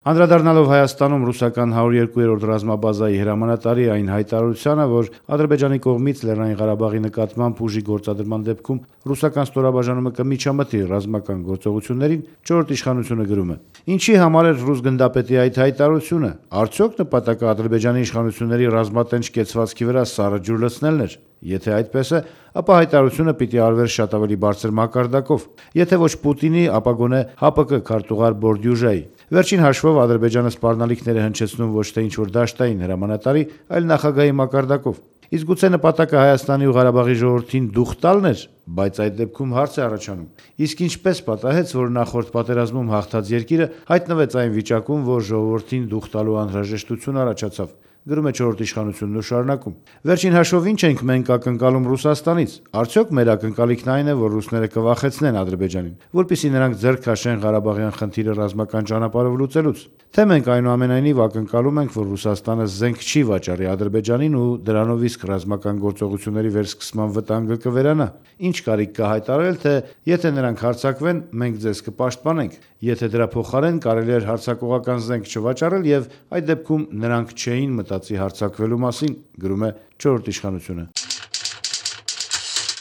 Անդրադառնալով Հայաստանում ռուսական 102-րդ ռազմաբազայի հրամանատարի այն հայտարարությանը, որ Ադրբեջանի կողմից Լեռնային Ղարաբաղի նկատմամբ ուժի գործադրման դեպքում ռուսական ստորաբաժանումը կմիջամտի ռազմական գործողություններին, չորրորդ իշխանությունը գրում է. «Ինչի համար էր ռուս գնդապետի այդ հայտարարությունը, արդյոք նպատակը Ադրբեջանի իշխանությունների ռազմատենչ կեցվածքի վրա սառը ջուր լցնելն էր։ Եթե այդպես է, ապա հայտարարությունը պիտի արվեր շատ ավելի բարձր մակարդակով, եթե ոչ Պուտինի, ապա գոնե ՀԱՊԿ քարտուղար Բորդյուժայի։ Վերջին հաշվով Ադրբեջանը սպառնալիքներ է հնչեցնում ոչ թե ինչ-որ դաշտային հրամանատարի, այլ նախագահի մակարդակով։ Իսկ գուցե նպատակը Հայաստանի ու Ղարաբաղի ժողովրդին դուխ տալն էր, բայց այդ դեպքում հարց է առաջանում. իսկ ինչպես պատահեց, որ նախորդ պատերազմում հաղթած երկիրը հայտնվեց այն վիճակում, որ ժողովրդին դուխ տալու անհրաժեշտություն առաջացավ», գրում է չորրորդ իշխանությունն ու շարունակում. «Վերջին հաշվով ինչ ենք մենք ակնկալում Ռուսաստանից։ Արդյոք մեր ակնկալիքն այն է, որ ռուսները կվախեցնեն Ադրբեջանին, որպեսզի նրանք ձեռք քաշեն Ղարաբաղյան խնդիրը ռազմական ճանապարհով լուծելուց։ Թե մենք այնուամենայնիվ ակնկալում ենք, որ Ռուսաստանը զենք չի վաճառի Ադրբեջանին ու դրանով իսկ ռազմական գործողությունների վերսկսման վտանգը կվերանա։ Ինչ կարիք կա հայտարարել, թե եթե նրանք հարձակվեն, մենք ձեզ կպաշտպանենք։ Եթե դրա փոխարեն կարելի էր հարձակողական զենք չվաճառել եւ այդ դեպքում նրանք չէին մտածի հարձակվելու մասին», գրում է չորրորդ իշխանությունը։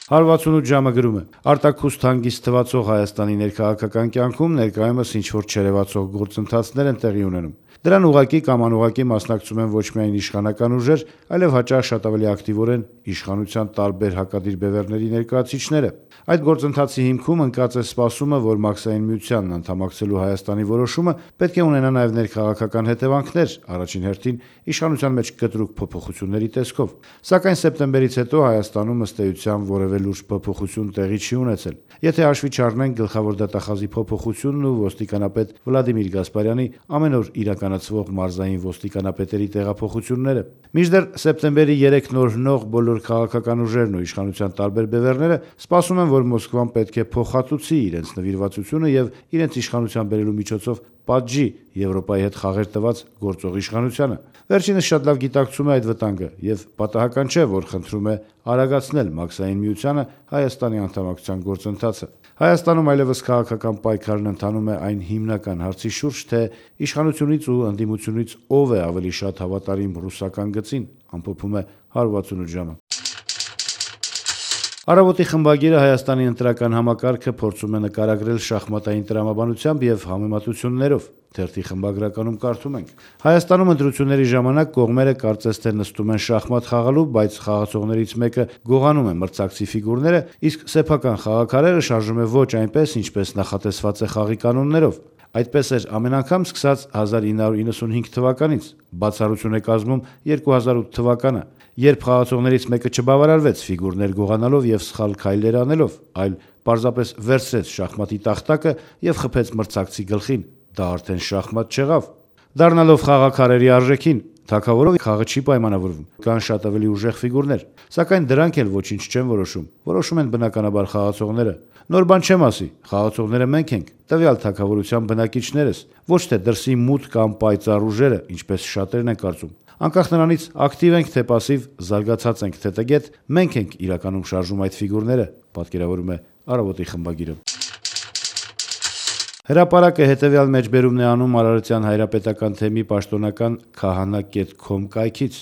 168 ժամը գրում է. «Արտաքուստ հանգիստ թվացող Հայաստանի ներքաղաքական կյանքում ներկայումս ինչ-որ չերևացող գործընթացներ են տեղի ունենում։ Դրան ուղղակի կամ անուղղակի մասնակցում են ոչ միայն իշխանական ուժեր, այլև հաճախ շատ ավելի ակտիվորեն իշխանության տարբեր հակադիր բևեռների ներկայացուցիչները։ Այդ գործընթացի հիմքում ընկած է սպասումը, որ Մաքսային միությանն անդամակցելու Հայաստանի որոշումը պետք է ունենա նաև ներքաղաքական հետևանքներ, առաջին հերթին իշխանության մեջ կտրուկ փոփոխությունների տեսքով։ Սակայն սեպտեմբերից հետո Հայաստանում ըստ էության որևէ լուրջ փոփոխություն տեղի չի ունեցել։ Եթե հաշվի չառնենք գլխավոր դատախազի փոփոխությունն ու ոստիկանապետ Վլադիմիր Գասպարյանի ամեն օր իրականացվող մարզային ոստիկանապետերի տեղափոխությունները։ Մինչդեռ սեպտեմբերի 3 նոր բոլոր քաղաքական ուժերն ու իշխանության տարբեր բևեռները սպասում են, որ Մոսկվան պետք է փոխհատուցի իրենց նվիրվածությունը եւ իրենց իշխանության բերելու միջոցով պատժի Եվրոպայի հետ խաղեր տված գործող իշխանությանը։ Վերջինս շատ լավ գիտակցում է այդ վտանգը եւ պատահական չէ, որ խնդրում է արագացնել Մաքսային միությանը Հայաստանի անդամակցության գործընթացը։ Հայաստանում այլևս քաղաքական պայքարն ընթանում է այն հիմնական հարցի շուրջ, թե իշխանությունից ու ընդդիմությունից ով է ավելի շատ հավատարիմ ռուսական գծին, ամփոփում է 168 ժամը։ Առավոտի խմբագիրը Հայաստանի ընտրական համակարգը փորձում է նկարագրել շախմատային տրամաբանությամբ եւ համեմատություններով։ Թերթի խմբագրականում կարդում ենք. Հայաստանում ընտրությունների ժամանակ կողմերը կարծես թե նստում են շախմատ խաղալու, բայց խաղացողներից մեկը գողանում է մրցակցի ֆիգուրները, իսկ սեփական խաղաքարերը շարժում է ոչ այնպես, ինչպես նախատեսված է խաղի կանոններով։ Այդպես էր ամեն անգամ սկսած 1995 թվականից, բացառություն է կազմում 2008 թվականը, երբ խաղացողներից մեկը չբավարարվեց ֆիգուրներ գողանալով եւ սխալ քայլեր անելով, այլ պարզապես վերցրեց շախմատի տախտակը եւ խփեց մրցակցի գլխին։ Դա արդեն շախմատ չեղավ։ Դառնալով խաղաքարերի արժեքին, թագավորով խաղը չի պայմանավորվում, կան շատ ավելի ուժեղ ֆիգուրներ, սակայն դրանք էլ ոչինչ չեն որոշում։ Որոշում են բնականաբար խաղացողները։ Նոր բան չեմ ասի, խաղացողները մենք ենք, տվյալ թագավորության բնակիչներս, ոչ թե դրսի մութ կամ պայծառ ուժերը, ինչպես շատերն են կարծում։ Անկախ նրանից ակտիվ ենք թե պասիվ, զարգացած ենք թե տգետ, մենք ենք իրականում շարժում այդ ֆիգուրները, պատկերավորում է Առավոտի խմբագիրը։ Հրապարակը հետևյալ մեջբերումն է անում Արարատյան հայրապետական թեմի պաշտոնական kahana.com կայքից։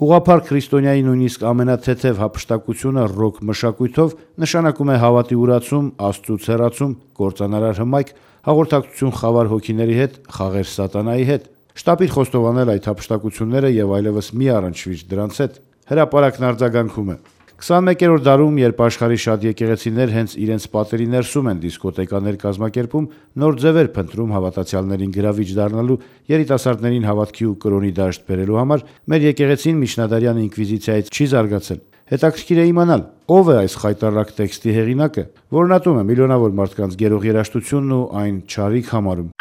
Ուղղափառ քրիստոնյայի նույնիսկ ամենաթեթև հափշտակությունը ռոք մշակույթով նշանակում է հավատի ուրացում, Աստծուց հեռացում, կործանարար հմայք, հաղորդակցություն խավար հոգիների հետ, խաղեր սատանայի հետ։ Շտապիր խոստովանել այդ հափշտակությունները եւ այլևս մի առնչվիր դրանց հետ։ Հրապարակն արձագանքում է. 21-րդ դարում, երբ աշխարհի շատ եկեղեցիներ հենց իրենց պատերի ներսում են դիսկոտեկաներ կազմակերպում, նոր ձևեր փնտրում հավատացյալներին գրավիչ դառնալու, երիտասարդներին հավատքի ու կրոնի դաշտ բերելու համար, մեր եկեղեցին միջնադարյան ինկվիզիցիայից չի զարգացել։ Հետաքրքիր է իմանալ, ով է այս խայտառակ տեքստի հեղինակը, որն ատում է միլիոնավոր մարդկանց գերող երաժշտությունն ու այն չարիք համարում։